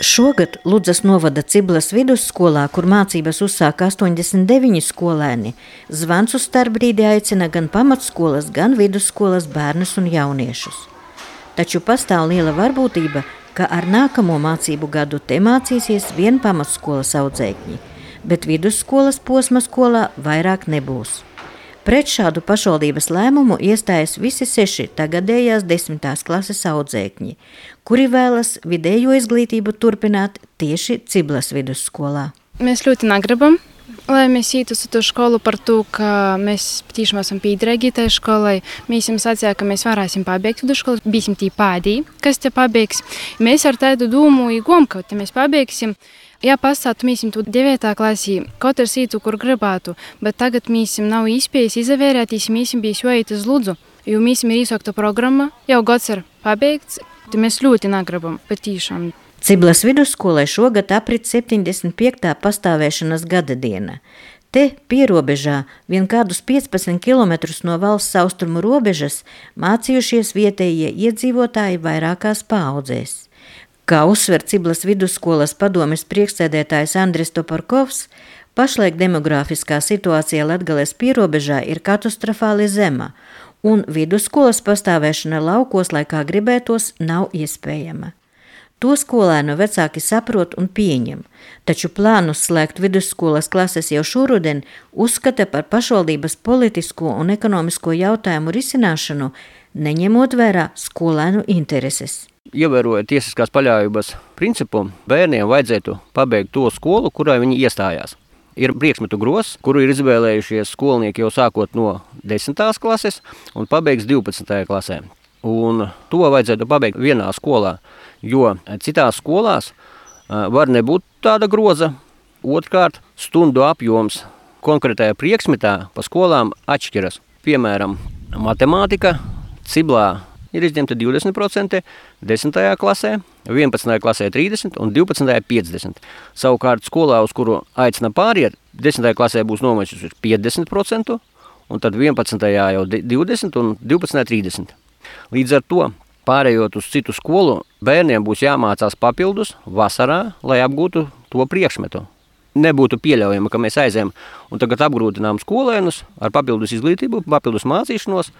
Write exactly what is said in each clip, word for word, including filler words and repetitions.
Šogad Ludzas novada Ciblas vidusskolā, kur mācības uzsāka astoņdesmit deviņi skolēni, zvans uz starpbrīdi aicina gan pamatskolas, gan vidusskolas bērnus un jauniešus. Taču pastāv liela varbūtība, ka ar nākamo mācību gadu te mācīsies vien pamatskolas audzēkņi, bet vidusskolas posma skolā vairāk nebūs. Pret šādu pašvaldības lēmumu iestājas visi seši tagadējās desmitās klases audzēkņi, kuri vēlas vidējo izglītību turpināt tieši Ciblas vidusskolā. Mēs ļoti negribam, lai mēs ietu uz to skolu par to, ka mēs patiešām esam piederīgi tai skolai. Mēs jums sacījām, ka mēs varēsim pabeigt vidusskolu, būsim tī pēdī, kas te pabeigs. Mēs ar tādu domu igom, ka te mēs pabeigsim. Jā, pastātu mīsim tu devietā klasī, katrs ītu, kur gribētu, bet tagad mīsim nav īspējas izavērētīs, mīsim bijis joīt uz Ludzu, jo mīsim ir īsākta programma, jau gads ir pabeigts, tad mēs ļoti negribam, patīšām. Ciblas vidusskolai šogad aprit septiņdesmit piektā pastāvēšanas gada diena. Te pierobežā vien kādus piecpadsmit kilometrus no valsts austrumu robežas mācījušies vietējie iedzīvotāji vairākās paaudzēs. Kā uzsver Ciblas vidusskolas padomes priekšsēdētājs Andris Toporkovs, pašlaik demogrāfiskā situācija Latgales pierobežā ir katastrofāli zema, un vidusskolas pastāvēšana laukos, lai kā gribētos, nav iespējama. To skolēnu vecāki saprot un pieņem, taču plānus slēgt vidusskolas klases jau šoruden uzskata par pašvaldības politisko un ekonomisko jautājumu risināšanu, neņemot vērā skolēnu intereses. Ievērojot tiesiskās paļāvības principu, bērniem vajadzētu pabeigt to skolu, kurā viņi iestājās. Ir priekšmetu grozs, kuru ir izvēlējušies skolnieki jau sākot no desmitās klases un pabeigs divpadsmitajā klasē. Un to vajadzētu pabeigt vienā skolā, jo citās skolās var nebūt tāda groza. Otrkārt, stundu apjoms konkrētajā priekšmetā pa skolām atšķiras. Piemēram, matemātika Ciblā ir izņemta divdesmit procenti, desmitajā klasē, vienpadsmitajā klasē trīsdesmit un divpadsmitajā piecdesmit. Savukārt skolā, uz kuru aicina pāriet, desmitajā klasē būs nomačus piecdesmit procenti, un tad vienpadsmitajā jau divdesmit un divpadsmitajā trīsdesmit. Līdz ar to, pārējot uz citu skolu, bērniem būs jāmācās papildus vasarā, lai apgūtu to priekšmetu. Nebūtu pieļaujama, ka mēs aizējam un tagad apgrūtinām skolēnus ar papildus izglītību, papildus mācīšanos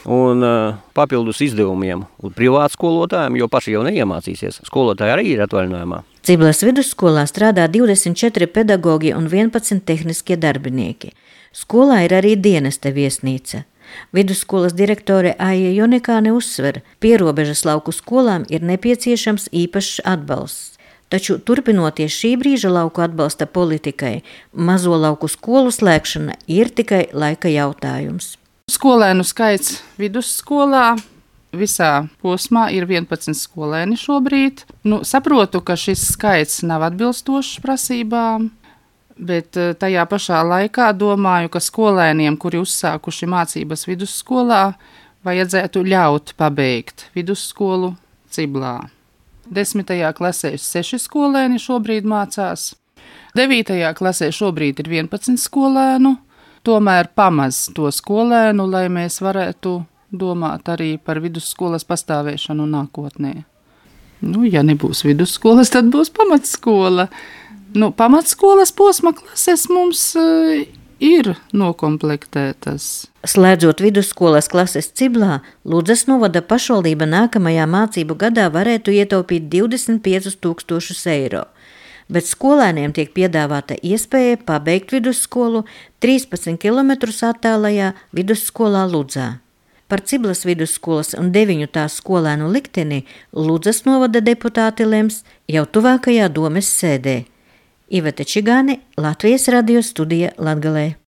un uh, papildus izdevumiem un privātu skolotājiem, jo paši jau neiemācīsies. Skolotāji arī ir atvaļinājumā. Ciblas vidusskolā strādā divdesmit četri pedagogi un vienpadsmit tehniskie darbinieki. Skolā ir arī dienesta viesnīca. Vidusskolas direktore Aija Jonikāne uzsver, pierobežas lauku skolām ir nepieciešams īpašs atbalsts. Taču turpinoties šī brīža lauku atbalsta politikai, mazo lauku skolu slēgšana ir tikai laika jautājums. Skolēnu skaits vidusskolā visā posmā ir vienpadsmit skolēni šobrīd. Nu, saprotu, ka šis skaits nav atbilstošs prasībām, bet tajā pašā laikā domāju, ka skolēniem, kuri uzsākuši mācības vidusskolā, vajadzētu ļaut pabeigt vidusskolu Ciblā. Desmitajā klasē seši skolēni šobrīd mācās, devītajā klasē šobrīd ir vienpadsmit skolēnu, tomēr pamaz to skolēnu, lai mēs varētu domāt arī par vidusskolas pastāvēšanu nākotnē. Nu, ja nebūs vidusskolas, tad būs pamatskola. Nu, pamatskolas posma klases mums uh, ir nokomplektētas. Slēdzot vidusskolas klases Ciblā, Ludzas novada pašvaldība nākamajā mācību gadā varētu ietaupīt divdesmit piecus tūkstošus eiro, bet skolēniem tiek piedāvāta iespēja pabeigt vidusskolu trīspadsmit kilometrus attālajā vidusskolā Ludzā. Par Ciblas vidusskolas un deviņu tās skolēnu likteni Ludzas novada deputāti lems jau tuvākajā domes sēdē. Iveta Čigāne, Latvijas radio studija Latgalē.